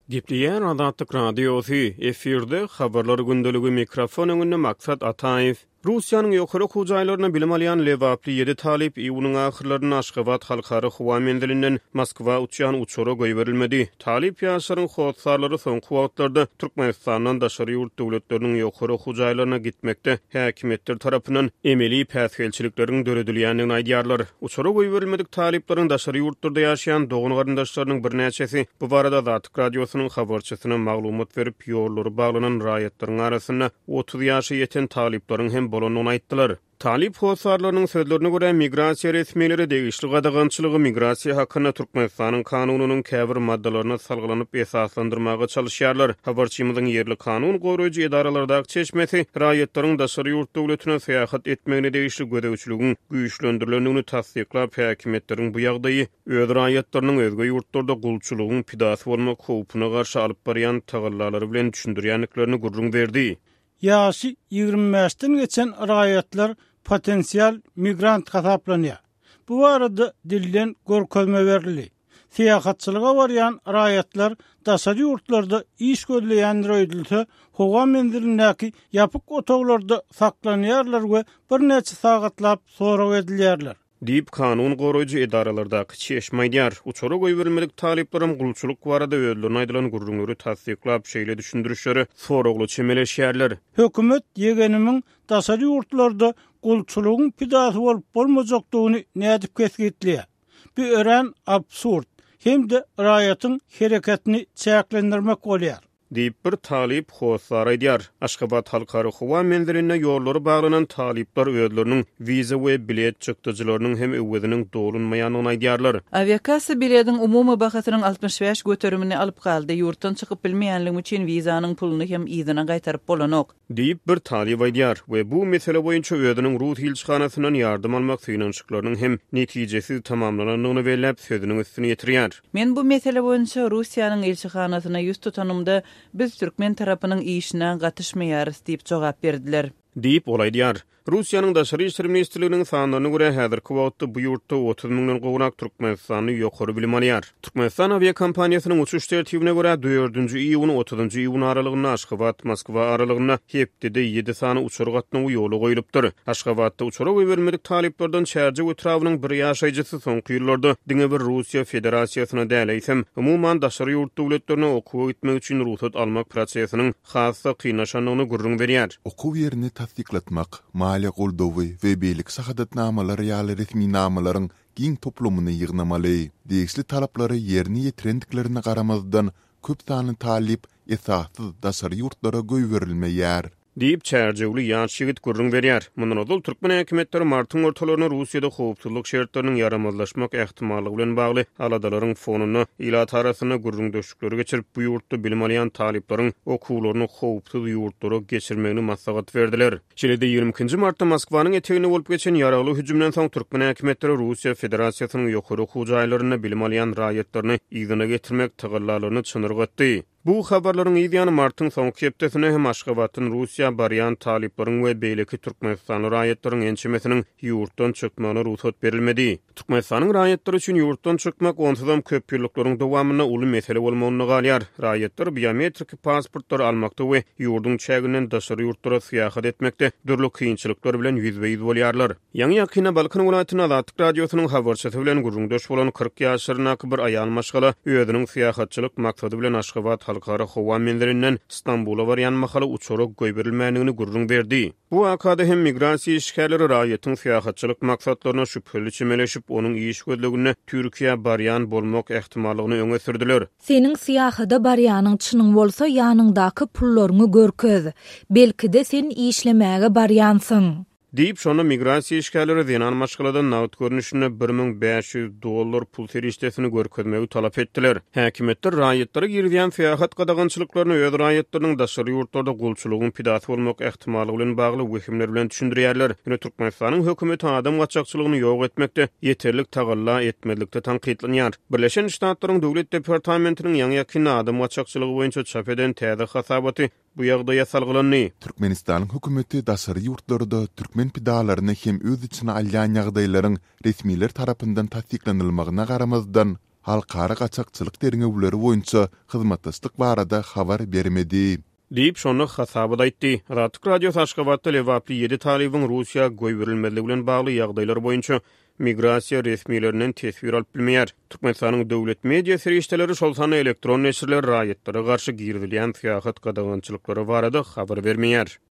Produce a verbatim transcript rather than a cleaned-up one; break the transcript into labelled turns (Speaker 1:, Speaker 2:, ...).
Speaker 1: Gepleýär Azatlyk Radiosy, efirde Habarlar gündeligi, mikrofon öňünde Maksat Ataýew. Russiýanyň ýokary okuw jaýlarynda bilim alýan lebaply ýedi talyp iýunyň ahyrlarynda Aşgabat halkara howa menzilinden Moskwa uçýan uçara goýberilmedi. Talyp ýaşlaryň hossarlary soňky wagtlarda Türkmenistandan daşary ýurt döwletleriniň ýokary okuw jaýlaryna gitmekde häkimiýetler tarapyndan emeli päsgelçilikleriň döredilýändigini aýdýarlar. Uçara goýberilmedik talyplaryň daşary ýurtlarda ýaşaýan dogan-garyndaşlarynyň birnäçesi bu barada Azatlyk Radiosynyň habarçysyna maglumat berip, ýollary baglanan raýatlaryň arasynda otuz ýaşa ýeten talyplaryň hem bolandygyny aýtdylar. Talyp hossarlarynyň sözlerine görä, migrasiýa resmileri degişli gadagançylygy migrasiýa hakynda Türkmenistanyň kanunynyň käbir maddalaryna salgylanyp esaslandyrmaga çalyşýarlar. Habarçymyzyň ýerli kanun goraýjy edaralardaky çeşmesi raýatlaryň daşary ýurt döwletine syýahat etmegine degişli gözegçiligiň güýçlendirilendigini tassyklap, häkimiýetleriň bu ýagdaýy öz raýatlarynyň özge ýurtlarda gulçulygyň pidasy bolmak howpuna garşy alyp barýan tagallalary bilen düşündirýändiklerini gürrüň berdi.
Speaker 2: Ýaşy ýigrimi bäşden geçen raýatlar potensial migrant hasaplanýar. Bu barada dilden görkezme berildi. Syýahatçylyga barýan raýatlar daşary ýurtlarda iş gözleýänler öýdülse, howa menzilindäki ýapyk otaglarda saklanýarlar we birnäçe sagatlap sorag edilýärler.
Speaker 1: Diýip, kanun goraýjy edaralardaky çeşme aýdýar. Uçara goýberilmedik talyplaryň gulçulyk barada özlerine aýdylan gürrüňleri tassyklap, şeýle düşündirişlere soragly çemeleşýärler.
Speaker 2: Hökümet ýegenimiň daşary ýurtlarda gulçulygyň pidasy bolup bolmajakdygyny nädip kesgitleýär. Bu örän absurd hem-de raýatyň hereketini çäklendirmek bolýar.
Speaker 1: Diýip, bir talyp hossar aýdýar. Aşgabat halkara howa menzilinde ýollary baglanan talyplar özleriniň wiza we bilet çykdajylarynyň hem öweziniň dolunmaýandygyny aýdýarlar.
Speaker 3: Awiakassa bilediň umumy bahasynyň altmyş bäş göterimini alyp galdy. Ýurtdan çykyp bilmeýänligim üçin wizanyň puluny hem yzyna gaýtaryp bolanok.
Speaker 1: Diýip, bir talyp aýdýar we bu mesele boýunça özüniň Rus ilçihanasyndan ýardam almak synanyşyklarynyň hem netijesiz tamamlanandygyny belläp, sözüniň üstüni ýetirýär.
Speaker 3: Men bu mesele boýunça Russiýanyň ilçihanasyna ýüz tutanymda, biz türkmen tarapynyň işine gatyşmaýarys diýip jogap berdiler.
Speaker 1: Diýip, ol aýdýar. Russiýanyň Daşary işler ministrliginiň sanlaryna görä, häzirki wagtda bu ýurtda otuz müňden gowrak türkmenistanly ýokary bilim alýar. Türkmenistan awiakompaniýasynyň uçuş tertibine görä, dördünji iýun otuzynjy iýun aralygynda Aşgabat Moskwa aralygynda hepdede ýedi sany uçar gatnawy ýola goýlupdyr. Aşgabatda uçara goýberilmedik talyplardan Çärjew etrabynyň bir ýaşaýjysy soňky ýyllarda diňe bir Russiýa Federasiýasyna däl, eýsem, umuman daşary ýurt döwletlerine okuwa gitmek üçin rugsat almak prosesiniň has-da kynlaşandygyny gürrüň berýär.
Speaker 4: Okuw ýerini tassyklatmak, maliýe goldawy we beýleki şahadatnamalar ýaly resminamalaryň giň toplumyny ýygnamaly. Degişli talaplary ýerine ýetirendiklerine garamazdan, köp sanly talyp esassyz daşary ýurtlara goýberilmeýär.
Speaker 1: Diýip, Çärjewli ýaş ýigit gürrüň berýär. Mundan ozal türkmen häkimiýetleri martyň ortalarynda Russiýada howpsuzlyk şertleriniň ýaramazlaşmak ähtimallygy bilen bagly aladalaryň fonunda ilat arasynda gürrüňdeşlikleri geçirip, bu ýurtda bilim alýan talyplaryň okuwlaryny howpsuz ýurtlara geçirmegini maslahat berdiler. Şeýle-de ýigrimi ikinji martda Moskwanyň eteginde bolup geçen ýaragly hüjümden soň türkmen häkimiýetleri Russiýa Federasiýasynyň ýokary okuw jaýlarynda bilim alýan raýatlaryny yzyna getirmek tagallalaryny çynyrgatdy. Bu habarlaryň yz ýany martyň soňky hepdesinde hem Aşgabatdan Russiýa barýan talyplaryň we beýleki türkmenistanly raýatlaryň ençemesiniň ýurtdan çykmagyna rugsat berilmedi. Türkmenistanyň raýatlary üçin ýurtdan çykmak onsuzam köp ýyllyklaryň dowamynda uly mesele bolmagynda galýar. Raýatlar biometriki pasportlary almakda we ýurduň çäginden daşary ýurtlara syýahat etmekde dürli kynçylyklar bilen ýüzbe-ýüz bolýarlar. Ýaňy ýakynda Balkan welaýatynda Azatlyk Radiosynyň habarçysy bilen gürrüňdeş bolan kyrk ýaşlaryndaky bir aýal maşgala özüniň syýahatçylyk maksady bilen Aşgabat halkara howa menzilinden Stambula barýan mahaly uçara goýberilmändigini gürrüň berdi. Bu wakada hem migrasiýa işgärleri raýatyň syýahatçylyk maksatlaryna şübheli çemeleşip, onuň iş gözleginde Türkiýä barýan bolmak ähtimallygyny öňe sürdüler.
Speaker 5: Seniň syýahada barýanyň çynyň bolsa ýanyňdaky pullaryňy görkez. Belki-de sen işlemäge barýansyň.
Speaker 1: Diýip, şonda migrasiýa işgärleri zenan maşgaladan nagt görnüşinde bir müň bäş ýüz dollar pul serişdesini görkezmegi talap etdiler. Häkimiýetler raýatlara girizýän syýahat gadagançylyklaryny öz raýatlarynyň daşary ýurtlarda gulçulygyň pidasy bolmak ähtimallygy bilen bagly wehimler bilen düşündirýärler. Ýöne Türkmenistanyň hökümeti adam gaçakçylygyny ýok etmekde ýeterlik tagalla etmezlikde tankytlanýar. Birleşen Ştatlaryň Döwlet departamentiniň ýaňy-ýakynda adam gaçakçylygy boýunça çap eden täze hasabaty bu ýagdaýa salgylandy.
Speaker 4: Türkmenistanyň hökümeti daşary ýurtlarda türkmen pidalaryny hem öz içine alýan ýagdaýlaryň resmiler tarapyndan tassyklanylmagyna garamazdan, halkara gaçakçylyk derňewleri boýunça hyzmatdaşlyk barada habar bermedi.
Speaker 1: Diýip, şonda hasabat aýtdy. Azatlyk Radiosy Aşgabatda lebaply ýedi talybyň Russiýa goýberilmezligi bilen bagly ýagdaýlar boýunça migrasiýa resmilerinden teswir alyp bilmeýär. Türkmenistanyň döwlet media serişdeleri, şol sanda elektron neşirler raýatlara garşy girizilýän syýahat gadagançylyklary barada habar bermeýär.